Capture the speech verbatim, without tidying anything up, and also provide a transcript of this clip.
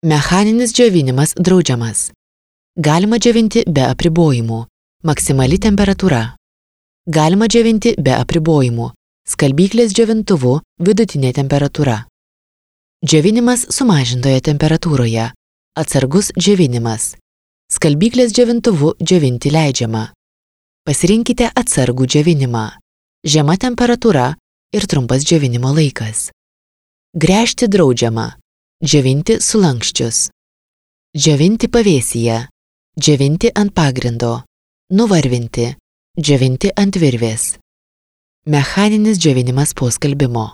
Mechaninis džiovinimas draudžiamas. Galima džiovinti be apribojimų. Maksimali temperatūra. Galima džiovinti be apribojimų. Skalbyklės džiovintuvu vidutinė temperatūra. Džiovinimas sumažintoje temperatūroje. Atsargus džiovinimas. Skalbyklės džiovintuvu džiovinti leidžiama. Pasirinkite atsargų džiovinimą. Žema temperatūra ir trumpas džiovinimo laikas. Gręžti draudžiama. Džiovinti sulanksčius. Džiovinti pavėsyje. Džiovinti ant pagrindo. Nuvarvinti. Džiovinti ant virvės. Mechaninis džiovinimas po skalbimo.